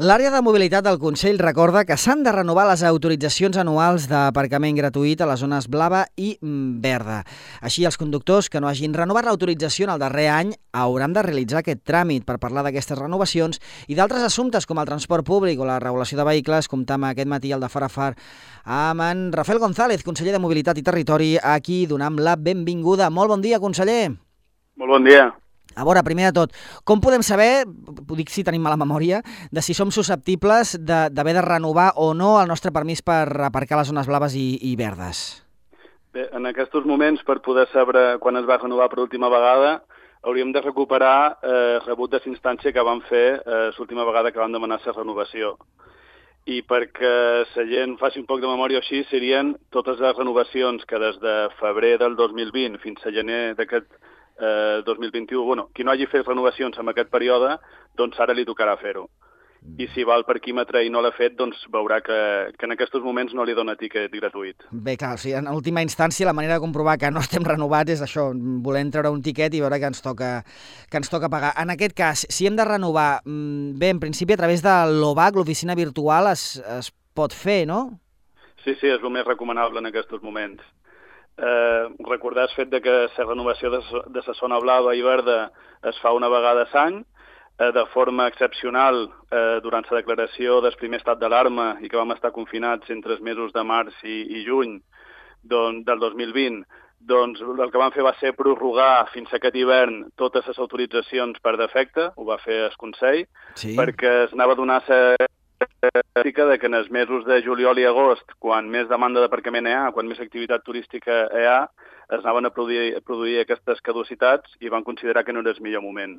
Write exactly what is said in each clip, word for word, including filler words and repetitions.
L'àrea de mobilitat del Consell recorda que s'han de renovar les autoritzacions anuals d'aparcament gratuït a les zones blava i verda. Així, els conductors que no hagin renovat l'autorització en el darrer any hauran de realitzar aquest tràmit. Per parlar d'aquestes renovacions i d'altres assumptes com el transport públic o la regulació de vehicles, comptam aquest matí al de Far a Far amb en Rafael González, conseller de Mobilitat i Territori, a qui donem la benvinguda. Molt bon dia, conseller. Molt bon dia. A veure, primer de tot, com podem saber, ho dic si tenim mala memòria, de si som susceptibles d'haver de, de renovar o no el nostre permís per aparcar les zones blaves i, i verdes? Bé, en aquests moments, per poder saber quan es va renovar per última vegada, hauríem de recuperar eh, rebut de instància que vam fer eh, l'última vegada que vam demanar la renovació. I perquè la gent faci un poc de memòria així, serien totes les renovacions que des de febrer del dos mil vint fins a gener d'aquest Eh, dos mil vint-i-u, bueno, qui no hagi fet renovacions en aquest període, doncs ara li tocarà fer-ho. I si va al parquímetre i no l'ha fet, doncs veurà que, que en aquests moments no li dona tiquet gratuït. Bé, clar, o sigui, en última instància la manera de comprovar que no estem renovats és això, voler treure un tiquet i veure que ens toca, que ens toca pagar. En aquest cas, si hem de renovar, bé, en principi a través de l'O B A C, l'oficina virtual, es, es pot fer, no? Sí, sí, és el més recomanable en aquests moments. Eh, recordar el fet de que la renovació de, de la zona blava i verda es fa una vegada a l'any, eh, de forma excepcional eh, durant la declaració del primer estat d'alarma i que vam estar confinats entre els mesos de març i, i juny don, del dos mil vint, doncs el que vam fer va ser prorrogar fins a aquest hivern totes les autoritzacions per defecte, ho va fer el Consell, sí. Perquè es anava a donar la de que en els mesos de juliol i agost, quan més demanda d'aparcament hi ha, quan més activitat turística hi ha, es anaven a produir, a produir aquestes caducitats i van considerar que no era el millor moment.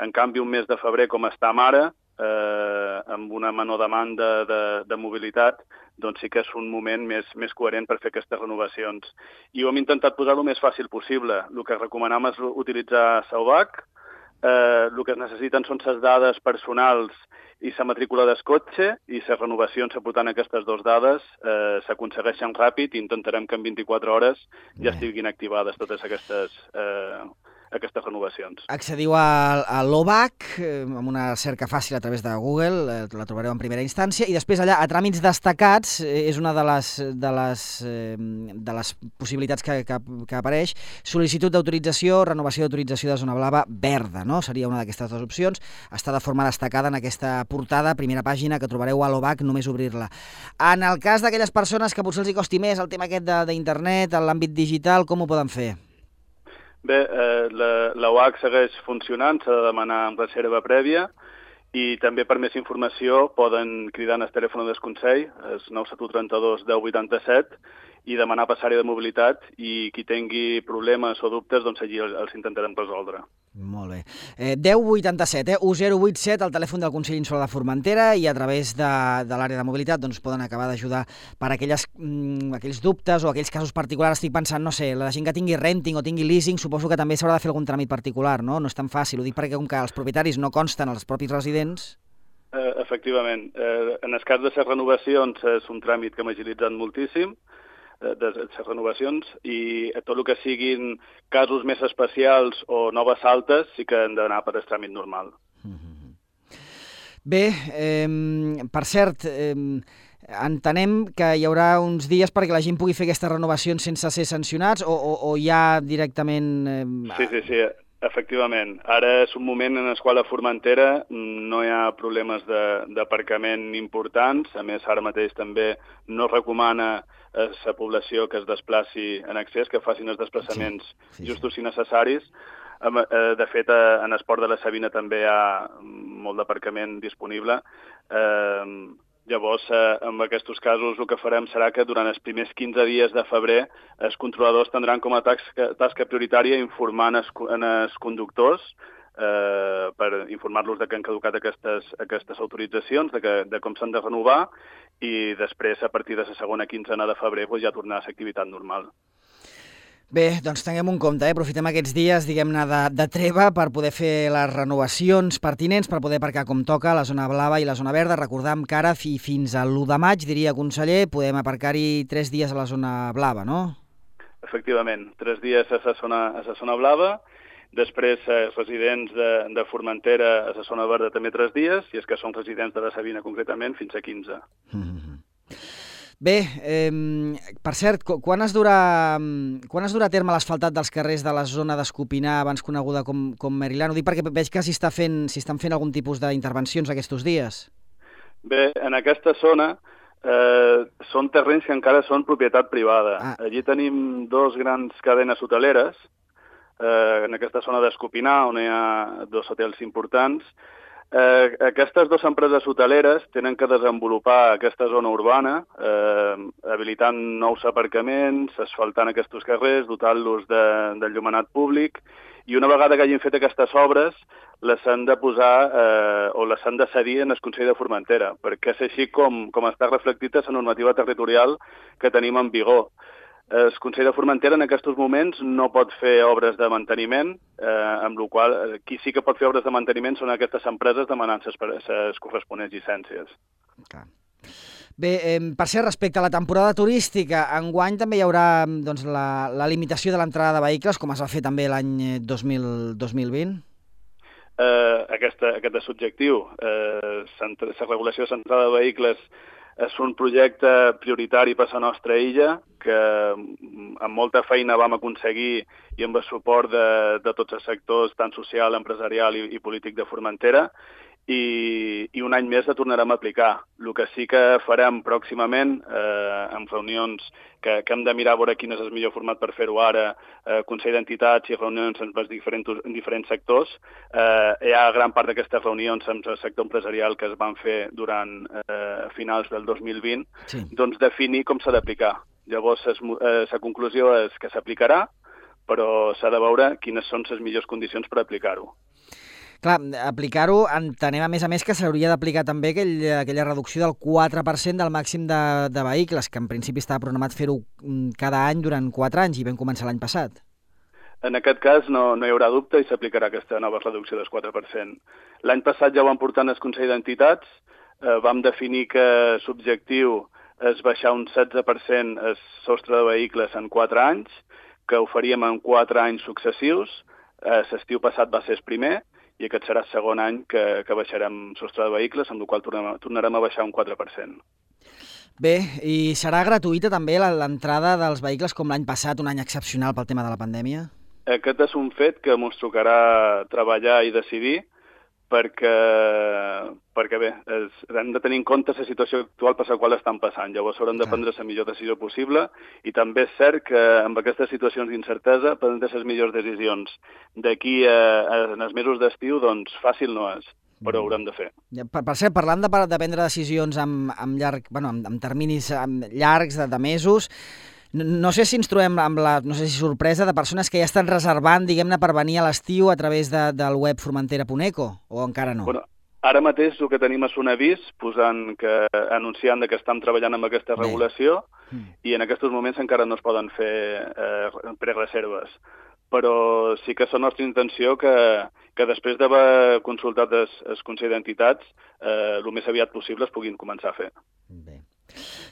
En canvi, un mes de febrer, com està ara, eh, amb una menor demanda de, de mobilitat, doncs sí que és un moment més, més coherent per fer aquestes renovacions. I ho hem intentat posar el més fàcil possible. El que recomanem és utilitzar el B A C, eh, el que es necessiten són les dades personals i la matrícula del cotxe, i les renovacions aportant aquestes dues dades eh, s'aconsegueixen ràpid i intentarem que en vint-i-quatre hores ja estiguin activades totes aquestes, eh, aquestes renovacions. Accediu a, a l'O B A C eh, amb una cerca fàcil a través de Google, eh, la trobareu en primera instància, i després allà a tràmits destacats eh, és una de les, de les, eh, de les possibilitats que, que, que apareix, sol·licitud d'autorització, renovació d'autorització de zona blava verda, no? Seria una d'aquestes dues opcions, està de forma destacada en aquesta portada, primera pàgina, que trobareu a l'O B A C, només obrir-la. En el cas d'aquelles persones que potser els hi costi més el tema aquest d'internet, en l'àmbit digital, com ho poden fer? Bé, eh, la, la U A C segueix funcionant, s'ha de demanar amb reserva prèvia, i també per més informació poden cridar en el telèfon del Consell, el nou set u tres dos deu vuitanta-set, i demanar passar-hi de mobilitat, i qui tingui problemes o dubtes, doncs allí els intentarem resoldre. Molt bé. Eh, deu vuitanta-set, eh? un zero vuit set, el telèfon del Consell Insular de Formentera, i a través de, de l'àrea de mobilitat doncs, poden acabar d'ajudar per aquelles, mm, aquells dubtes o aquells casos particulars. Estic pensant, no sé, la gent que tingui renting o tingui leasing, suposo que també s'haurà de fer algun tràmit particular, no? No és tan fàcil, ho dic perquè com que els propietaris no consten als propis residents... Eh, efectivament. Eh, en el cas de les renovacions és un tràmit que hem agilitzat moltíssim, de les renovacions, i tot el que siguin casos més especials o noves altes sí que han d'anar per el tràmit normal. Bé, eh, per cert, eh, entenem que hi haurà uns dies perquè la gent pugui fer aquestes renovacions sense ser sancionats o, o, o ja directament... Eh... Sí, sí, sí, efectivament. Ara és un moment en el qual a Formentera no hi ha problemes d'aparcament importants, a més ara mateix també no recomana a la població que es desplaci en accés, que facin els desplaçaments sí, sí, justos sí. i necessaris. De fet, en el port de la Sabina també hi ha molt d'aparcament disponible. Llavors, en aquests casos, el que farem serà que durant els primers quinze dies de febrer els controladors tindran com a tasca, tasca prioritària informar els conductors eh, per informar-los de que han caducat aquestes, aquestes autoritzacions, de, que, de com s'han de renovar, i després, a partir de la segona quinzena de febrer, doncs, ja tornar a la activitat normal. Bé, doncs tinguem un compte, eh? Aprofitem aquests dies, diguem-ne, de, de treva per poder fer les renovacions pertinents, per poder aparcar com toca la zona blava i la zona verda. Recordam que ara, fi, fins a l'u de maig, diria conseller, podem aparcar-hi tres dies a la zona blava, no? Efectivament, tres dies a la zona, a la zona blava. Després, els residents de, de Formentera a la zona verda també tres dies, i els que són residents de la Sabina concretament fins a quinze. Mm-hmm. Bé, eh, per cert, quan es durà, quan es durà a terme l'asfaltat dels carrers de la zona d'Escopinar, abans coneguda com, com Merilán? Ho dic perquè veig que s'hi està fent, s'hi estan fent algun tipus d'intervencions aquests dies. Bé, en aquesta zona eh, són terrenys que encara són propietat privada. Ah. Allí tenim dos grans cadenes hoteleres, eh, en aquesta zona d'Escopinar, on hi ha dos hotels importants. Eh, aquestes dues empreses hoteleres tenen que desenvolupar aquesta zona urbana, eh, habilitant nous aparcaments, asfaltant aquests carrers, dotant-los de, de llumenat públic, i una vegada que hagin fet aquestes obres, les han de posar eh, o les han de cedir en el Consell de Formentera, perquè és així com, com està reflectit a la normativa territorial que tenim en vigor. El Consell de Formentera en aquests moments no pot fer obres de manteniment, eh, amb la qual cosa qui sí que pot fer obres de manteniment són aquestes empreses demanant les corresponents llicències. Okay. Bé, eh, per ser respecte a la temporada turística, enguany també hi haurà doncs, la, la limitació de l'entrada de vehicles, com es va fer també l'any dos mil vint? Eh, aquesta, aquest és l'objectiu. Eh, la regulació de l'entrada de vehicles és un projecte prioritari per a la nostra illa, que amb molta feina vam aconseguir i amb el suport de, de tots els sectors, tant social, empresarial i, i polític de Formentera, i, i un any més la tornarem a aplicar. El que sí que farem pròximament, eh, amb reunions que, que hem de mirar a veure quin és el millor format per fer-ho ara, eh, Consell d'Entitats i reunions amb els diferents, en diferents sectors. Eh, hi ha gran part d'aquestes reunions amb el sector empresarial que es van fer durant eh, finals del dos mil vint, sí. Doncs definir com s'ha d'aplicar. Llavors, la conclusió és que s'aplicarà, però s'ha de veure quines són les millors condicions per aplicar-ho. Clar, aplicar-ho, entenem a més a més que s'hauria d'aplicar també aquell, aquella reducció del quatre per cent del màxim de, de vehicles, que en principi estava programat fer-ho cada any durant quatre anys i vam començar l'any passat. En aquest cas no, no hi haurà dubte i s'aplicarà aquesta nova reducció del quatre per cent. L'any passat ja ho vam portar al Consell d'Entitats, eh, vam definir que l'objectiu és baixar un setze per cent el sostre de vehicles en quatre anys, que ho faríem en quatre anys successius. Eh, l'estiu passat va ser el primer, i aquest serà el segon any que, que baixarem sostre de vehicles, amb el qual tornarem, tornarem a baixar un quatre per cent. Bé, i serà gratuïta també l'entrada dels vehicles com l'any passat, un any excepcional pel tema de la pandèmia? Aquest és un fet que ens tocarà treballar i decidir, perquè, perquè bé, és, hem de tenir en compte la situació actual per la qual estan passant. Llavors haurem de prendre la millor decisió possible, i també és cert que amb aquestes situacions d'incertesa prendre les millors decisions d'aquí a, a, en els mesos d'estiu, doncs fàcil no és, però ho haurem de fer. Per, per cert, parlant de, de prendre decisions amb, amb, llarg, bueno, amb, amb terminis amb llargs de, de mesos, no, no sé si ens trobem amb la no sé si sorpresa de persones que ja estan reservant, diguem-ne, per venir a l'estiu a través de, del web formentera punt eco, o encara no? Bueno, ara mateix el que tenim és un avís posant que, anunciant que estem treballant amb aquesta regulació, mm. i en aquests moments encara no es poden fer eh, prereserves. Però sí que és la nostra intenció que, que després d'haver consultat el, el Consell d'Entitats, eh, el més aviat possible es puguin començar a fer. Bé.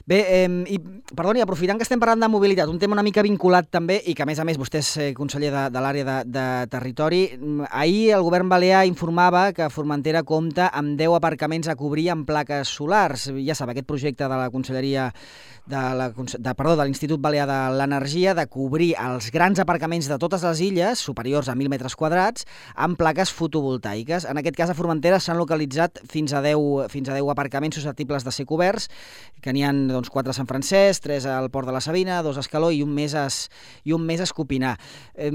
Bé, eh, i, perdoni, aprofitant que estem parlant de mobilitat, un tema una mica vinculat també, i que a més a més vostè és eh, conseller de, de l'àrea de, de territori, ahir el govern balear informava que Formentera compta amb deu aparcaments a cobrir amb plaques solars. Ja sap, aquest projecte de la Conselleria de la, de, perdó, de l'Institut Balear de l'Energia, de cobrir els grans aparcaments de totes les illes, superiors a mil metres quadrats, amb plaques fotovoltaiques. En aquest cas, a Formentera s'han localitzat fins a deu, fins a deu aparcaments susceptibles de ser coberts, que n'hi ha doncs, quatre a Sant Francesc, tres al Port de la Sabina, dos a Escaló i un més a, i un més a Escopinar. Eh,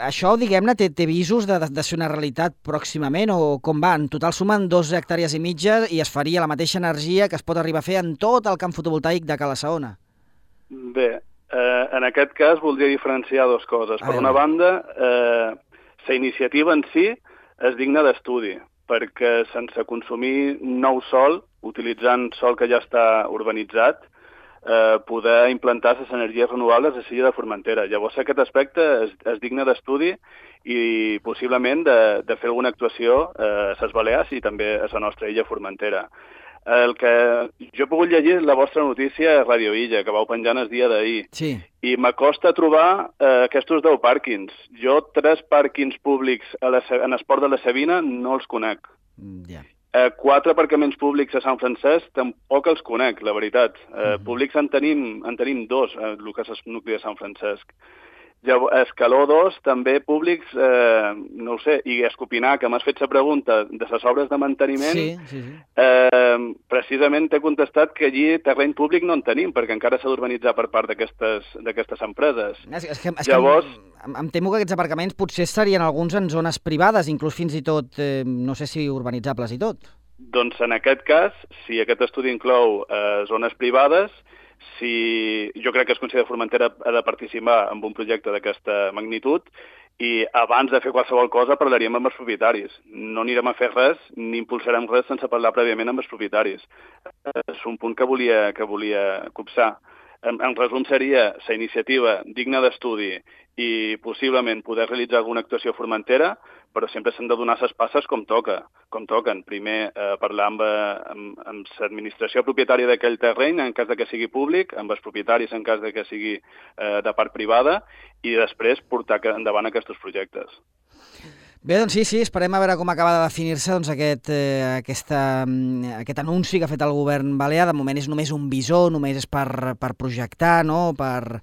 això, diguem-ne, té, té visos de, de, de ser una realitat pròximament, o com va? En total sumen dos hectàrees i mitja i es faria la mateixa energia que es pot arribar a fer en tot el camp fotovoltaic de Cala Saona. Bé, eh, en aquest cas voldria diferenciar dues coses. Per una banda, eh, la iniciativa en si és digna d'estudi, perquè sense consumir nou sol, utilitzant sol que ja està urbanitzat, eh, poder implantar les energies renovables a l'illa de Formentera. Llavors aquest aspecte és, és digne d'estudi i possiblement de, de fer alguna actuació eh, a les Balears i també a la nostra illa Formentera. El que jo he pogut llegir la vostra notícia a Radio Illa, que vau penjant el dia d'ahir. Sí. I m'acosta trobar eh, aquests deu pàrquings. Jo tres pàrquings públics a la, en esport de la Sabina no els conec. Ja. Eh, quatre aparcaments públics a Sant Francesc tampoc els conec, la veritat. Eh, mm-hmm. Públics en tenim, en tenim dos, eh, el que és el nucli de Sant Francesc. Llavors, Escaló dos, també públics, eh, no ho sé, i Escopinar, que m'has fet la pregunta de les obres de manteniment, sí, sí, sí. Eh, precisament t'he contestat que allí terreny públic no en tenim, perquè encara s'ha d'urbanitzar per part d'aquestes empreses. És, és que, és Llavors... que em, em temo que aquests aparcaments potser estarien alguns en zones privades, inclús fins i tot, eh, no sé si urbanitzables i tot. Doncs en aquest cas, si aquest estudi inclou eh, zones privades, si jo crec que es considera Formentera ha de participar en un projecte d'aquesta magnitud i abans de fer qualsevol cosa parlaríem amb els propietaris. No anirem a fer res ni impulsarem res sense parlar prèviament amb els propietaris. És un punt que volia, que volia copsar. En, en resum seria la iniciativa digna d'estudi i possiblement poder realitzar alguna actuació a Formentera, però sempre s'han de donar les passes com toca, com toquen. Primer, eh, parlar amb, amb, amb l'administració propietària d'aquell terreny, en cas de que sigui públic, amb els propietaris en cas de que sigui eh, de part privada, i després portar endavant aquests projectes. Bé, doncs sí, sí, esperem a veure com acaba de definir-se doncs, aquest, eh, aquesta, aquest anunci que ha fet el govern balear. De moment és només un visor, només és per, per projectar, no?, per...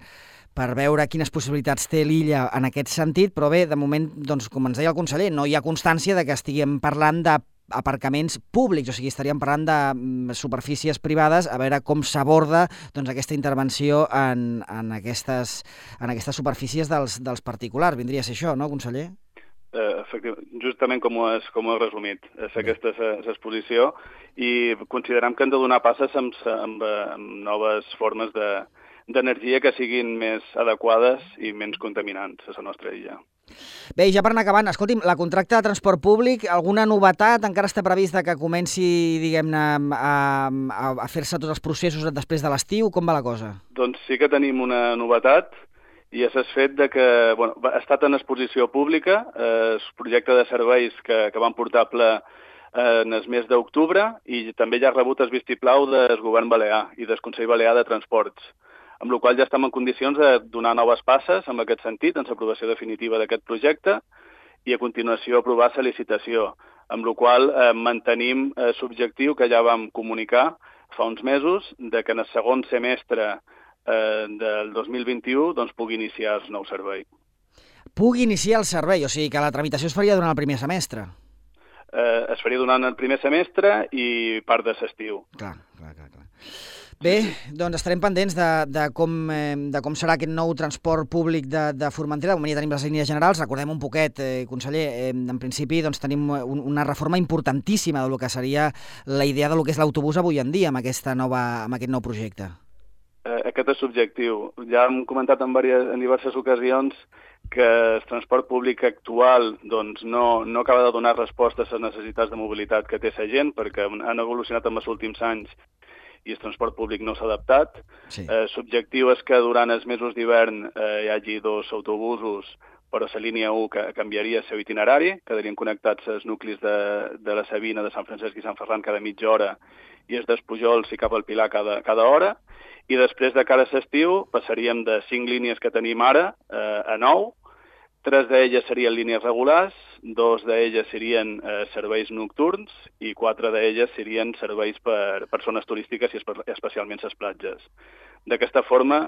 per veure quines possibilitats té l'illa en aquest sentit, però bé, de moment, doncs, com ens deia el conseller, no hi ha constància de que estiguem parlant d'aparcaments públics, o sigui, estaríem parlant de superfícies privades, a veure com s'aborda doncs, aquesta intervenció en, en, aquestes, en aquestes superfícies dels, dels particulars. Vindria a ser això, no, conseller? Eh, efectivament, justament com ho has, com ho has resumit, és aquesta exposició, i considerem que hem de donar passes amb, amb, amb noves formes de d'energia que siguin més adequades i menys contaminants a la nostra illa. Bé, i ja per anar acabant, escolti'm, la contracte de transport públic, alguna novetat? Encara està previst que comenci, diguem-ne, a, a, a fer-se tots els processos després de l'estiu? Com va la cosa? Doncs sí que tenim una novetat, i és el fet de que bueno, ha estat en exposició pública, eh, el projecte de serveis que, que van portar a ple eh, en el mes d'octubre, i també ja ha rebut el vistiplau del govern balear i del Consell Balear de Transports, amb la qual ja estem en condicions de donar noves passes en aquest sentit, en l'aprovació definitiva d'aquest projecte, i a continuació aprovar la licitació, amb la qual eh, mantenim eh, l'objectiu que ja vam comunicar fa uns mesos, de que en el segon semestre eh, del dos mil vint-i-u doncs, pugui iniciar el nou servei. Pugui iniciar el servei, o sigui que la tramitació es faria durant el primer semestre? Eh, es faria durant el primer semestre i part de l'estiu. Clar, clar, clar, clar. Bé, doncs estarem pendents de, de, com, eh, de com serà aquest nou transport públic de, de Formentera. De moment ja tenim les línies generals. Recordem un poquet, eh, conseller, eh, en principi doncs, tenim un, una reforma importantíssima del que seria la idea del que és l'autobús avui en dia amb, aquesta nova, amb aquest nou projecte. Eh, aquest és l'objectiu. Ja hem comentat en, diverses, en diverses ocasions que el transport públic actual doncs, no, no acaba de donar resposta a les necessitats de mobilitat que té la gent, perquè han evolucionat en els últims anys i el transport públic no s'ha adaptat. Sí. Eh, L'objectiu és que durant els mesos d'hivern eh, hi hagi dos autobusos, però la línia u que canviaria el seu itinerari, quedarien connectats als nuclis de, de la Sabina, de Sant Francesc i Sant Ferran cada mitja hora, i els d'Espujols i cap al Pilar cada, cada hora, i després de cara a l'estiu passaríem de cinc línies que tenim ara eh, a nou. Tres d'elles serien línies regulars, dos d'elles serien eh, serveis nocturns i quatre d'elles serien serveis per persones turístiques i espe especialment les platges. D'aquesta forma,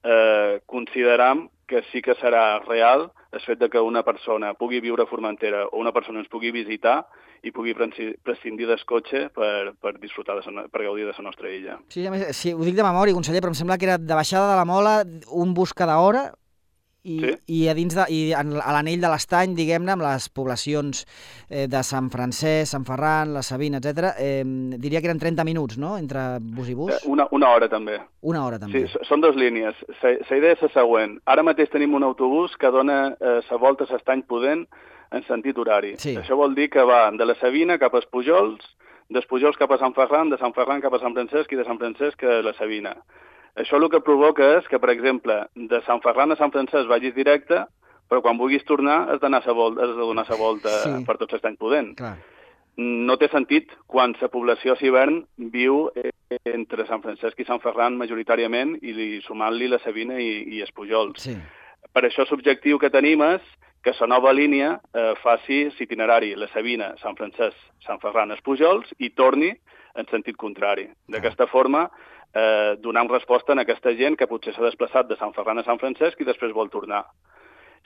eh, consideram que sí que serà real el fet de que una persona pugui viure a Formentera o una persona ens pugui visitar i pugui prescindir del cotxe per, per disfrutar, de, per gaudir de la nostra illa. Sí, a més, sí, ho dic de memòria, conseller, però em sembla que era de baixada de la Mola, un bus cada hora, I, sí. i a dins de, i a l'anell de l'Estany, diguem-ne, amb les poblacions eh, de Sant Francesc, Sant Ferran, la Sabina, etcètera, eh, diria que eren trenta minuts, no?, entre bus i bus. Eh, una, una hora, també. Una hora, també. Sí, són dues línies. La idea és la següent. Ara mateix tenim un autobús que dona la eh, volta a l'Estany Pudent en sentit horari. Sí. Això vol dir que va de la Sabina cap als Pujols, dels Pujols cap a Sant Ferran, de Sant Ferran cap a Sant Francesc i de Sant Francesc a la Sabina. Això el que provoca és que, per exemple, de Sant Ferran a Sant Francesc vagis directe, però quan vulguis tornar has, d'anar a volta, has de donar la volta sí. per tot l'Estany Pudent. Clar. no té sentit quan la població a Civern viu entre Sant Francesc i Sant Ferran majoritàriament i sumant-li la Sabina i, i els Pujols. Sí. Per això l'objectiu que tenim és que la nova línia eh, faci l'itinerari la Sabina, Sant Francesc, Sant Ferran, els Pujols i torni en sentit contrari. D'aquesta forma, eh, donant resposta a aquesta gent que potser s'ha desplaçat de Sant Ferran a Sant Francesc i després vol tornar.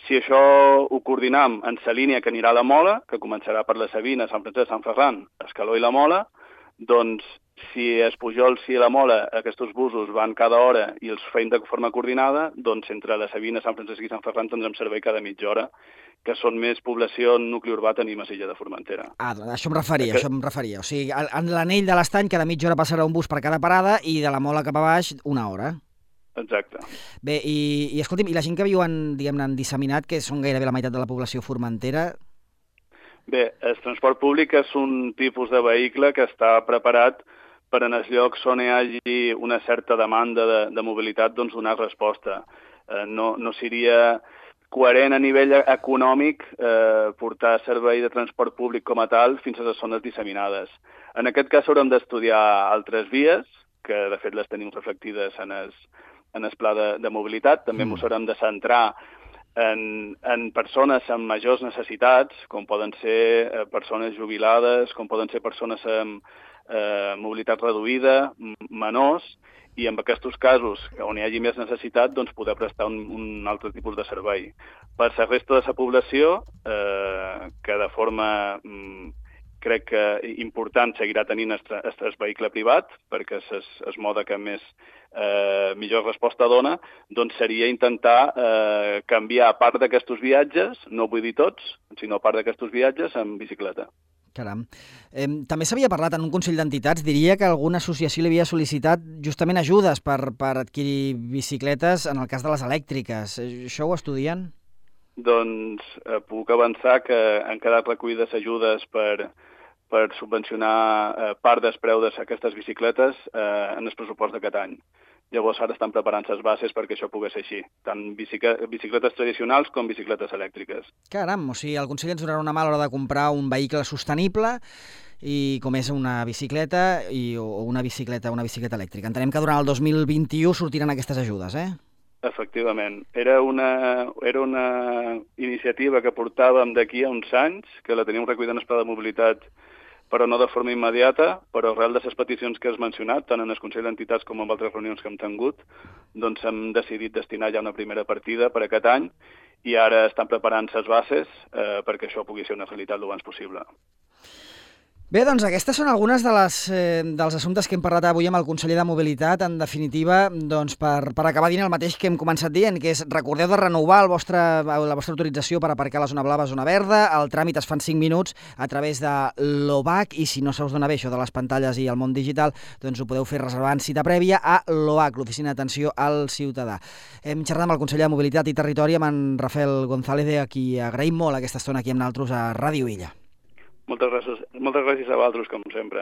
Si això ho coordinam en la línia que anirà a la Mola, que començarà per la Sabina, Sant Francesc, Sant Ferran, Escaló i la Mola, doncs si els Pujols i la Mola, aquests busos van cada hora i els feim de forma coordinada, doncs entre la Sabina, Sant Francesc i Sant Ferran tindrem servei cada mitja hora, que són més població en nucli urbà tenim a l'illa de Formentera. Ah, això em referia, que... això em referia. O sigui, en l'anell de l'Estany cada mitja hora passarà un bus per cada parada i de la Mola cap a baix una hora. Exacte. Bé, i, i escolti'm, i la gent que viu en, diguem-ne, en disseminat, que són gairebé la meitat de la població formentera... Bé, el transport públic és un tipus de vehicle que està preparat per en els llocs on hi hagi una certa demanda de, de mobilitat, doncs donar resposta. Eh, no, no seria coherent a nivell econòmic eh, portar servei de transport públic com a tal fins a les zones disseminades. En aquest cas haurem d'estudiar altres vies, que de fet les tenim reflectides en el, en el pla de, de mobilitat. També ens mm. haurem de centrar en, en persones amb majors necessitats, com poden ser eh, persones jubilades, com poden ser persones amb eh, mobilitat reduïda, menors, i en aquests casos, on hi hagi més necessitat, doncs poder prestar un, un altre tipus de servei. Per la resta de la població, eh, que de forma... Mm, crec que important seguirà tenint el vehicle privat, perquè és el mode que més eh, millor resposta dona, doncs seria intentar eh, canviar part d'aquests viatges, no vull dir tots, sinó part d'aquests viatges en bicicleta. Caram. Eh, també s'havia parlat en un Consell d'Entitats, diria que alguna associació li havia sol·licitat justament ajudes per, per adquirir bicicletes en el cas de les elèctriques. Això ho estudien? Doncs eh, puc avançar que han quedat recollides ajudes per, per subvencionar eh, part del preu d'aquestes bicicletes eh, en el pressupost d'aquest any. Llavors ara estan preparant les bases perquè això pogués ser així, tant bicicletes tradicionals com bicicletes elèctriques. Caram, o sigui, el Consell ens donarà una mà a l'hora de comprar un vehicle sostenible i com és una bicicleta i, o una bicicleta, una bicicleta elèctrica. Entenem que durant el dos mil vint-i-u sortiran aquestes ajudes, eh? Efectivament. Era una, era una iniciativa que portàvem d'aquí a uns anys, que la teníem recollida en el pla de mobilitat, però no de forma immediata, però arrel de les peticions que has mencionat, tant en el Consell d'Entitats com en altres reunions que hem tingut, doncs hem decidit destinar ja una primera partida per aquest any i ara estan preparant les bases eh, perquè això pugui ser una realitat el abans possible. Bé, doncs aquestes són algunes de les, eh, dels assumptes que hem parlat avui amb el conseller de Mobilitat. En definitiva, doncs, per, per acabar dient el mateix que hem començat dient, que és recordeu de renovar el vostre, la vostra autorització per aparcar a la zona blava, zona verda. El tràmit es fa en cinc minuts a través de l'O B A C i si no se us dona bé això de les pantalles i el món digital, doncs ho podeu fer reservant cita prèvia a l'O A C, l'Oficina d'Atenció al Ciutadà. Hem xerrat amb el conseller de Mobilitat i Territori, amb en Rafael González, a qui agraïm molt aquesta estona aquí amb nosaltres a Ràdio Illa. Moltes gràcies, moltes gràcies a vosaltres, com sempre.